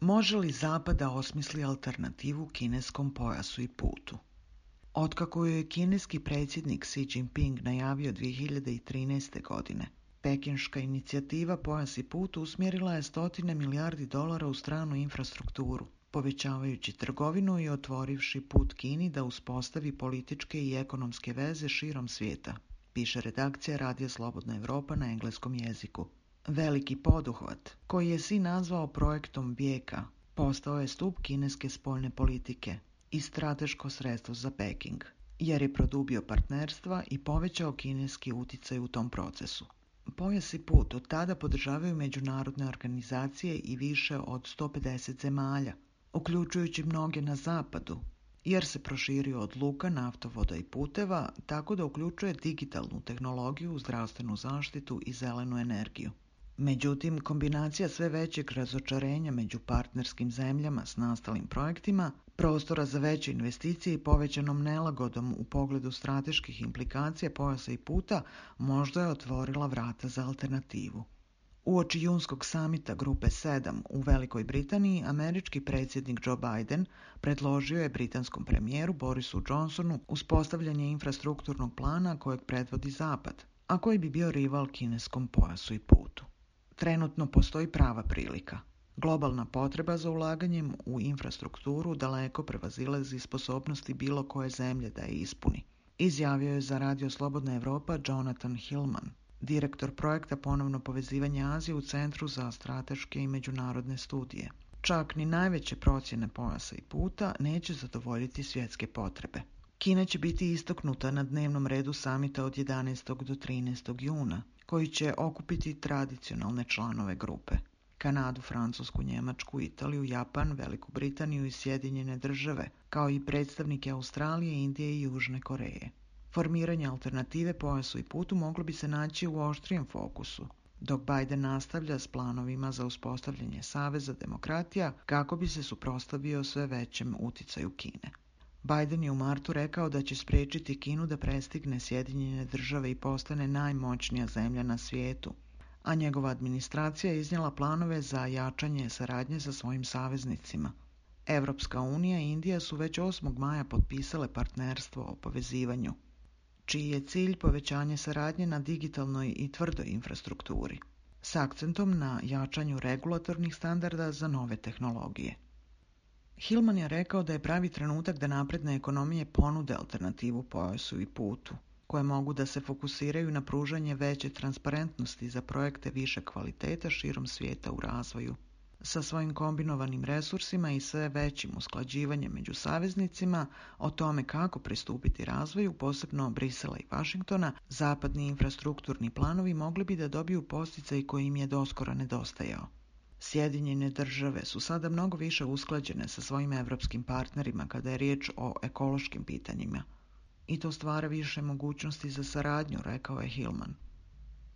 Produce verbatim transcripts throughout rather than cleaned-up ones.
Može li Zapad da osmisli alternativu kineskom pojasu i putu? Otkako je kineski predsjednik Xi Jinping najavio dvije hiljade trinaeste. godine, pekinška inicijativa Pojas i put usmjerila je stotine milijardi dolara u stranu infrastrukturu, povećavajući trgovinu i otvorivši put Kini da uspostavi političke i ekonomske veze širom svijeta, piše redakcija Radija Slobodna Evropa na engleskom jeziku. Veliki poduhvat, koji je Xi nazvao projektom vijeka, postao je stup kineske spoljne politike i strateško sredstvo za Peking, jer je produbio partnerstva i povećao kineski utjecaj u tom procesu. Pojas i put od tada podržavaju međunarodne organizacije i više od sto pedeset zemalja, uključujući mnoge na zapadu, jer se proširio od luka, naftovoda i puteva, tako da uključuje digitalnu tehnologiju, zdravstvenu zaštitu i zelenu energiju. Međutim, kombinacija sve većeg razočarenja među partnerskim zemljama s nastalim projektima, prostora za veće investicije i povećanom nelagodom u pogledu strateških implikacija pojasa i puta možda je otvorila vrata za alternativu. Uoči junskog samita Grupe sedam u Velikoj Britaniji, američki predsjednik Joe Biden predložio je britanskom premijeru Borisu Johnsonu uspostavljanje infrastrukturnog plana kojeg predvodi Zapad, a koji bi bio rival kineskom pojasu i putu. Trenutno postoji prava prilika. Globalna potreba za ulaganjem u infrastrukturu daleko prevazilazi sposobnosti bilo koje zemlje da je ispuni, izjavio je za Radio Slobodna Evropa Jonathan Hillman, direktor projekta Ponovno povezivanje Azije u Centru za strateške i međunarodne studije. Čak ni najveće procjene pojasa i puta neće zadovoljiti svjetske potrebe. Kina će biti istaknuta na dnevnom redu samita od jedanaestog do trinaestog juna, koji će okupiti tradicionalne članove grupe. Kanadu, Francusku, Njemačku, Italiju, Japan, Veliku Britaniju i Sjedinjene države, kao i predstavnike Australije, Indije i Južne Koreje. Formiranje alternative pojasu i putu moglo bi se naći u oštrijem fokusu, dok Biden nastavlja s planovima za uspostavljanje saveza demokratija kako bi se suprotstavio sve većem uticaju Kine. Biden je u martu rekao da će spriječiti Kinu da prestigne Sjedinjene države i postane najmoćnija zemlja na svijetu, a njegova administracija je iznijela planove za jačanje saradnje sa svojim saveznicima. Evropska unija i Indija su već osmog maja potpisale partnerstvo o povezivanju, čiji je cilj povećanje saradnje na digitalnoj i tvrdoj infrastrukturi, s akcentom na jačanju regulatornih standarda za nove tehnologije. Hillman je rekao da je pravi trenutak da napredne ekonomije ponude alternativu pojasu i putu, koje mogu da se fokusiraju na pružanje veće transparentnosti za projekte više kvaliteta širom svijeta u razvoju. Sa svojim kombinovanim resursima i sve većim usklađivanjem među saveznicima o tome kako pristupiti razvoju, posebno Brisela i Vašingtona, zapadni infrastrukturni planovi mogli bi da dobiju podsticaj koji im je doskora nedostajao. Sjedinjene države su sada mnogo više usklađene sa svojim evropskim partnerima kada je riječ o ekološkim pitanjima. I to stvara više mogućnosti za saradnju, rekao je Hillman.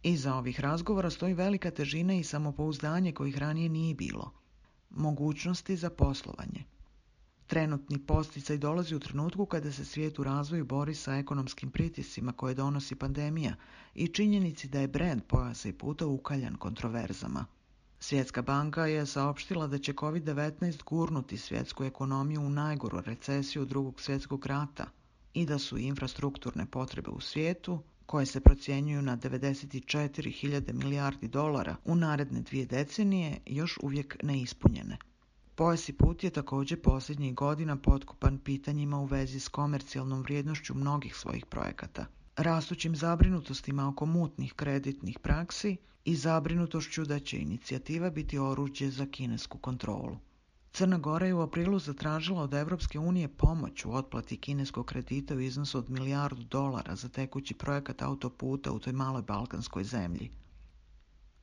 Iza ovih razgovora stoji velika težina i samopouzdanje kojih ranije nije bilo. Mogućnosti za poslovanje. Trenutni podsticaj dolazi u trenutku kada se svijet u razvoju bori sa ekonomskim pritiscima koje donosi pandemija i činjenici da je brend pojasa i puta ukaljan kontroverzama. Svjetska banka je saopštila da će kovid devetnaest gurnuti svjetsku ekonomiju u najgoru recesiju drugog svjetskog rata i da su infrastrukturne potrebe u svijetu, koje se procjenjuju na devedeset četiri hiljade milijardi dolara u naredne dvije decenije, još uvijek neispunjene. Pojas i put je također posljednjih godina potkopan pitanjima u vezi s komercijalnom vrijednošću mnogih svojih projekata, rastućim zabrinutostima oko mutnih kreditnih praksi i zabrinutošću da će inicijativa biti oruđe za kinesku kontrolu. Crna Gora je u aprilu zatražila od Evropske unije pomoć u otplati kineskog kredita u iznosu od milijardu dolara za tekući projekat autoputa u toj maloj balkanskoj zemlji.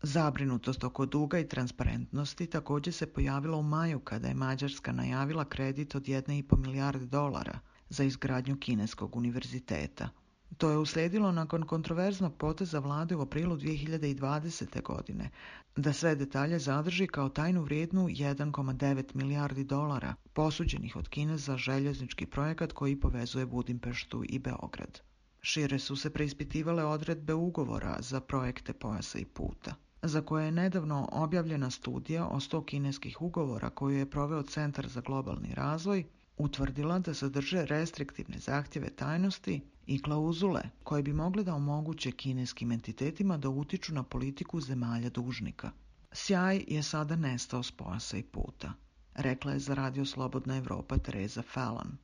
Zabrinutost oko duga i transparentnosti također se pojavila u maju kada je Mađarska najavila kredit od jedne i pol milijarde dolara za izgradnju kineskog univerziteta. To je uslijedilo nakon kontroverznog poteza vlade u aprilu dvije hiljade dvadesete. godine, da sve detalje zadrži kao tajnu vrijednu jedan zarez devet milijardi dolara, posuđenih od Kine za željeznički projekat koji povezuje Budimpeštu i Beograd. Šire su se preispitivale odredbe ugovora za projekte pojasa i puta. za koje je nedavno objavljena studija o sto kineskih ugovora koju je proveo Centar za globalni razvoj, utvrdila da sadrže restriktivne zahtjeve tajnosti i klauzule koje bi mogle da omoguće kineskim entitetima da utiču na politiku zemalja dužnika. Sjaj je sada nestao s pojasa i puta, rekla je za Radio Slobodna Evropa Teresa Fallon,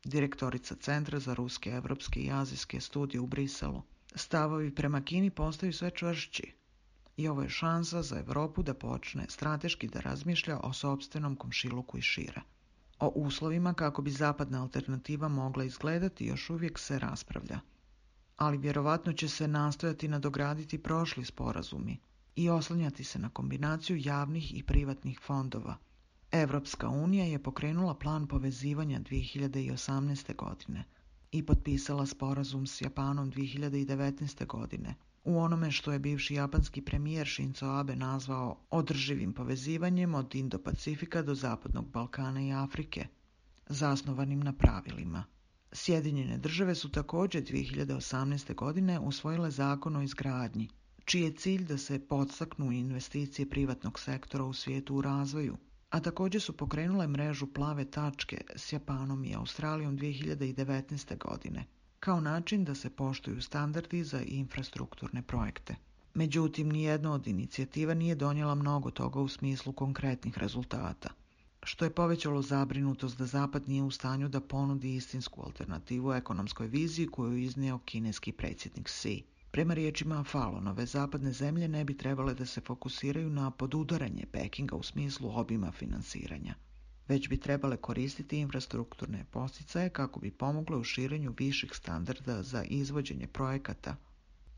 direktorica Centra za ruske, evropske i azijske studije u Briselu. Stavovi prema Kini postaju sve čvršći i ovo je šansa za Evropu da počne strateški da razmišlja o sopstvenom komšiluku i šire. O uslovima kako bi zapadna alternativa mogla izgledati još uvijek se raspravlja, ali vjerovatno će se nastojati nadograditi prošli sporazumi i oslanjati se na kombinaciju javnih i privatnih fondova. Evropska unija je pokrenula plan povezivanja dvije hiljade osamnaeste. godine i potpisala sporazum s Japanom dvije hiljade devetnaeste. godine u onome što je bivši japanski premijer Shinzo Abe nazvao održivim povezivanjem od Indo-Pacifika do Zapadnog Balkana i Afrike, zasnovanim na pravilima. Sjedinjene države su također dvije hiljade osamnaeste. godine usvojile zakon o izgradnji, čiji je cilj da se podstaknu investicije privatnog sektora u svijetu u razvoju, a također su pokrenule mrežu plave tačke s Japanom i Australijom dvije hiljade devetnaeste. godine, kao način da se poštuju standardi za infrastrukturne projekte. Međutim, nijedna od inicijativa nije donijela mnogo toga u smislu konkretnih rezultata, što je povećalo zabrinutost da Zapad nije u stanju da ponudi istinsku alternativu ekonomskoj viziji koju je iznio kineski predsjednik Xi. Prema riječima Fallonove, zapadne zemlje ne bi trebale da se fokusiraju na podudaranje Pekinga u smislu obima finansiranja, već bi trebale koristiti infrastrukturne posticaje kako bi pomogle u širenju viših standarda za izvođenje projekata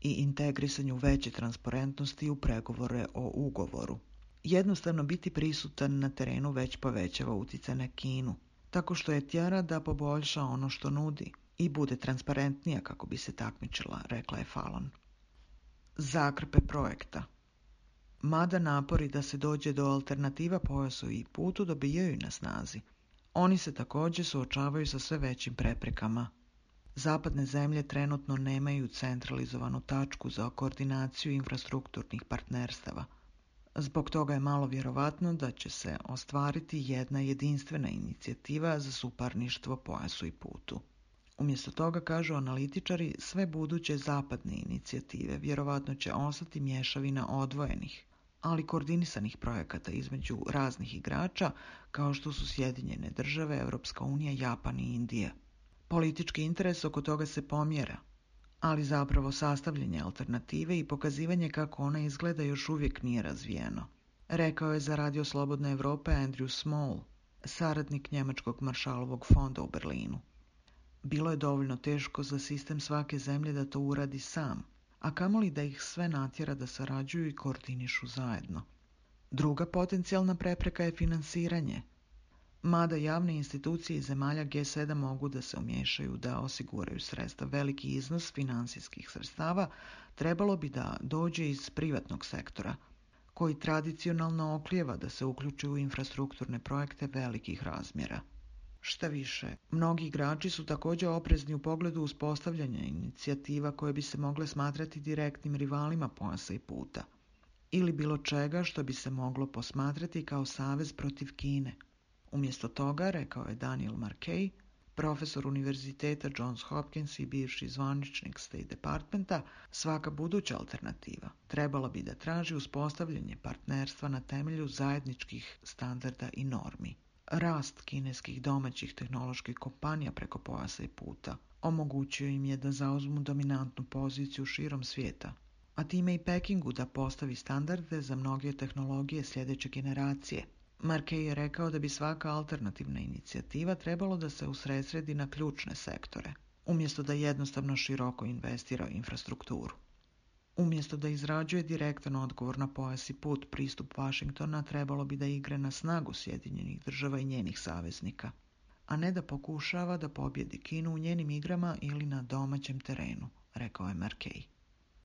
i integrisanju veće transparentnosti u pregovore o ugovoru. Jednostavno biti prisutan na terenu već povećava utjecaj na Kinu, tako što je tjera da poboljša ono što nudi i bude transparentnija kako bi se takmičila, rekla je Fallon. Zakrpe projekta. Mada napori da se dođe do alternativa pojasu i putu dobijaju na snazi, oni se također suočavaju sa sve većim preprekama. Zapadne zemlje trenutno nemaju centralizovanu tačku za koordinaciju infrastrukturnih partnerstava. Zbog toga je malo vjerovatno da će se ostvariti jedna jedinstvena inicijativa za suparništvo pojasu i putu. Umjesto toga, kažu analitičari, sve buduće zapadne inicijative vjerovatno će ostati mješavina odvojenih, ali koordinisanih projekata između raznih igrača kao što su Sjedinjene države, Europska unija, Japan i Indija. Politički interes oko toga se pomjera, ali zapravo sastavljanje alternative i pokazivanje kako ona izgleda još uvijek nije razvijeno, rekao je za Radio Slobodne Evrope Andrew Small, saradnik njemačkog Marshallovog fonda u Berlinu. Bilo je dovoljno teško za sistem svake zemlje da to uradi sam, a kamoli da ih sve natjera da sarađuju i koordinišu zajedno. Druga potencijalna prepreka je finansiranje. Mada javne institucije iz zemalja G sedam mogu da se umiješaju da osiguraju sredstva, veliki iznos financijskih sredstava trebalo bi da dođe iz privatnog sektora, koji tradicionalno oklijeva da se uključi u infrastrukturne projekte velikih razmjera. Šta više, mnogi igrači su također oprezni u pogledu uspostavljanja inicijativa koje bi se mogle smatrati direktnim rivalima pojasa i puta, ili bilo čega što bi se moglo posmatrati kao savez protiv Kine. Umjesto toga, rekao je Daniel Markey, profesor univerziteta Johns Hopkins i bivši zvaničnik State Departmenta, svaka buduća alternativa trebala bi da traži uspostavljanje partnerstva na temelju zajedničkih standarda i normi. Rast kineskih domaćih tehnoloških kompanija preko pojasa i puta omogućio im je da zauzmu dominantnu poziciju širom svijeta, a time i Pekingu da postavi standarde za mnoge tehnologije sljedeće generacije. Markey je rekao da bi svaka alternativna inicijativa trebalo da se usredsredi na ključne sektore, umjesto da jednostavno široko investira u infrastrukturu. Umjesto da izrađuje direktan odgovor na pojas i put, pristup Washingtona trebalo bi da igre na snagu Sjedinjenih država i njenih saveznika, a ne da pokušava da pobjedi Kinu u njenim igrama ili na domaćem terenu, rekao je Markey.